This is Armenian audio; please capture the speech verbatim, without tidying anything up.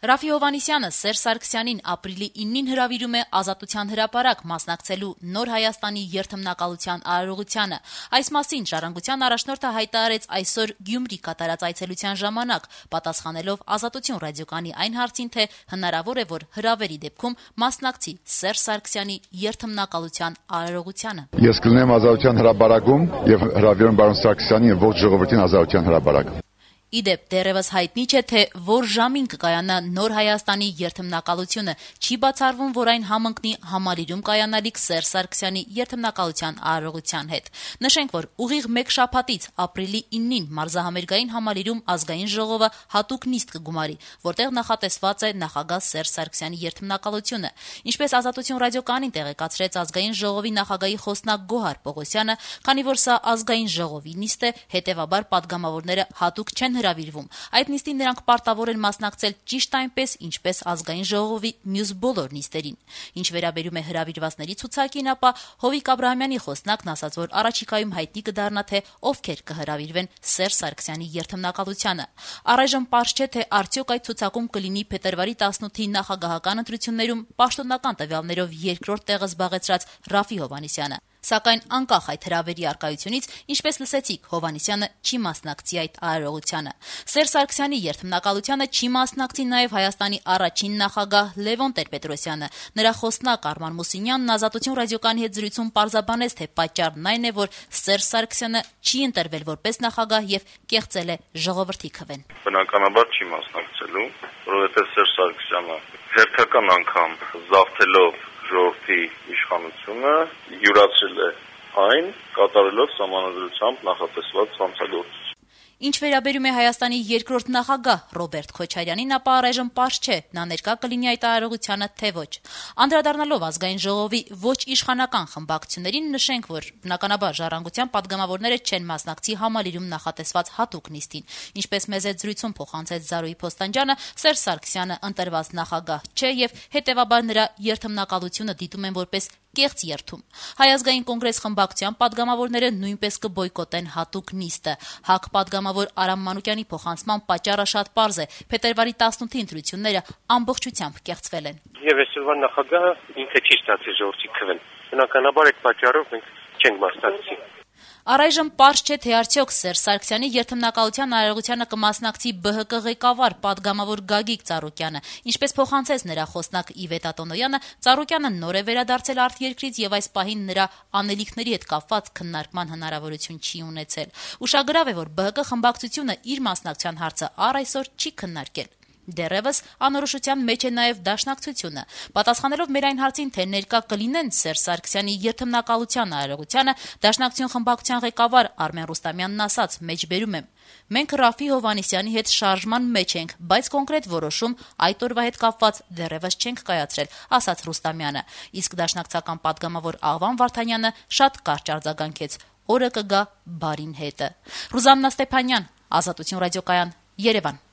Ռաֆի Հովհաննիսյանը Սերժ Սարգսյանին ապրիլի իննին հրավիրում է Ազատության հրապարակ մասնակցելու Նոր Հայաստանի երթմնակալության արարողությանը։ Այս մասին Ժառանգության առաջնորդը հայտարարեց այսօր Գյումրի կատարած այցելության ժամանակ, պատասխանելով Ազատություն ռադիոկայանի այն հարցին, թե հնարավոր է, որ հրավերի դեպքում մասնակցի Սերժ Սարգսյանի երթմնակալության արարողությանը։ Ես կլինեմ Ազատության հրապարակում եւ հրավիրեմ պարոն Սարգսյանին եւ ողջ ժողովրդին Ազատության հրապարակ։ Իդեպ դեռևս հայտնի չէ, թե որ ժամին կկայանա Նոր Հայաստանի երթմնակալությունը, չի բացառվում, որ այն համընկնի Համալիրում կայանալիք Սերժ Սարգսյանի երթմնակալության արարողության հետ։ Նշենք, որ ուղիղ մեկ շաբաթից ապրիլի իննին Մարզահամերգային Համալիրում ազգային ժողովը հատուկ նիստ կգումարի, որտեղ նախատեսված է նախագահ Սերժ Սարգսյանի երթմնակալությունը։ Ինչպես Ազատություն ռադիոկայանին տեղեկացրեց ազգային ժողովի նախագահի խոսնակ Գոհար Պողոսյանը, քանի որ սա ազգային ժողովի նիստ է, հետևաբար պատգամավորները հատուկ չեն հրավիրվում։ Այդ նիստին նրանք պարտավոր են մասնակցել ճիշտ այնպես, ինչպես ազգային ժողովի մյուս բոլոր նիստերին։ Ինչ վերաբերում է հրավիրվածների ցուցակին, ապա Հովիկ Աբրահամյանի խոսնակն ասաց, որ առաջիկայում հայտնի կդառնա, թե ովքեր կհրավիրվեն Սերժ Սարգսյանի երթմնակալությանը։ Առայժմ պարզ չէ, թե արդյոք այդ ցուցակում կլինի փետրվարի տասնութի նախագահական ընտրություններում պաշտոնական տվյալներով երկրորդ տեղը զբաղեցրած Ռաֆի Հովհաննիսյանը։ Սակայն անկախ այդ հրավերի առկայությունից, ինչպես լսեցիք, Հովհաննիսյանը չի մասնակցի այդ արարողությանը։ Սերժ Սարգսյանի երթմնակալությանը չի մասնակցի նաև Հայաստանի առաջին նախագահ Լևոն Տեր-Պետրոսյանը։ Նրա խոսնակ Արման Մուսինյանն Ազատություն ռադիոկայանի հետ զրույցում պարզաբանեց, թե պատճառն այն է, որ Սերժ Սարգսյանը չի ընտրվել որպես նախագահ եւ կեղծել է ժողովրդի քվեն։ Բնականաբար չի մասնակցելու, որովհետեւ Սերժ Սարգսյանը հերթական անգամ զավթելով ժողովրդի իշխանությունը յուրացրել է այն, կատարելով սահմանադրությամբ նախատեսված հանցագործություն։ Ինչ վերաբերում է Հայաստանի երկրորդ նախագահ Ռոբերտ Քոչարյանին, ապա առայժմ պարզ չէ, նա ներկա կլինի այդ արարողությանը, թե ոչ։ Անդրադառնալով ազգային ժողովի ոչ իշխանական խմբակցություններին, նշենք, որ բնականաբար Ժառանգության պատգամավորները չեն մասնակցի Համալիրում նախատեսված հատուկ նիստին։ Ինչպես մեզ այդ զրույցում փոխանցեց Զարուհի Փոստանջյանը, Սերժ Սարգսյանը ընտրված նախագահ չէ եւ հետեւաբար նրա երթմնակալությունը դիտում են որպես կեղծ երթում։ Հայ ազգային կոնգրես խմբակցության պատգամավորները նույնպես կբոյկոտեն հատուկ նիստը։ ՀԱԿ պատգամավոր Արամ Մանուկյանի փոխանցման պատճառը շատ պարզ է։ Փետրվարի տասնութի ընտրությունները ամբողջությամբ կեղծվել են։ Եվ այսօրվա նախագահը ինքը չի ստացել ժողովրդի քվեն։ Բնականաբար այդ պատճառով մենք չենք մասնակցի։ Առայժմ պարզ չէ, թե արդյոք Սերժ Սարգսյանի երթմնակալության արարողությանը կմասնակցի ԲՀԿ ղեկավար պատգամավոր Գագիկ Ծառուկյանը։ Ինչպես փոխանցեց նրա խոսնակ Իվետ Ատոնոյանը, Ծառուկյանը նոր է վերադարձել արտերկրից եւ այս պահին նրա անելիքների հետ կապված քննարկման հնարավորություն չի ունեցել։ Ուշագրավ է, որ ԲՀԿ խմբակցությունը իր մասնակցության հարցը առ այսօր չի քննարկել։ Դեռևս անորոշության մեջ է նաև Դաշնակցությունը։ Պատասխանելով մեր այն հարցին, թե ներկա կլինեն Սերժ Սարգսյանի երթմնակալության արարողությանը, Դաշնակցություն խմբակցության ղեկավար Արմեն Ռուստամյանն ասաց. «Մեջբերում եմ. մենք Ռաֆի Հովհաննիսյանի հետ շարժման մեջ ենք, բայց կոնկրետ որոշում այդ օրվա հետ կապված դեռևս չենք կայացրել», ասաց Ռուստամյանը։ Իսկ դաշնակցական պատգամավոր Աղվան Վարդանյանը շատ կարճ արձագանքեց. «Օրը կգա բարին հետը»։ Ռուզաննա Ստեփանյան, Ազատություն ռադիոկայան, Երևան։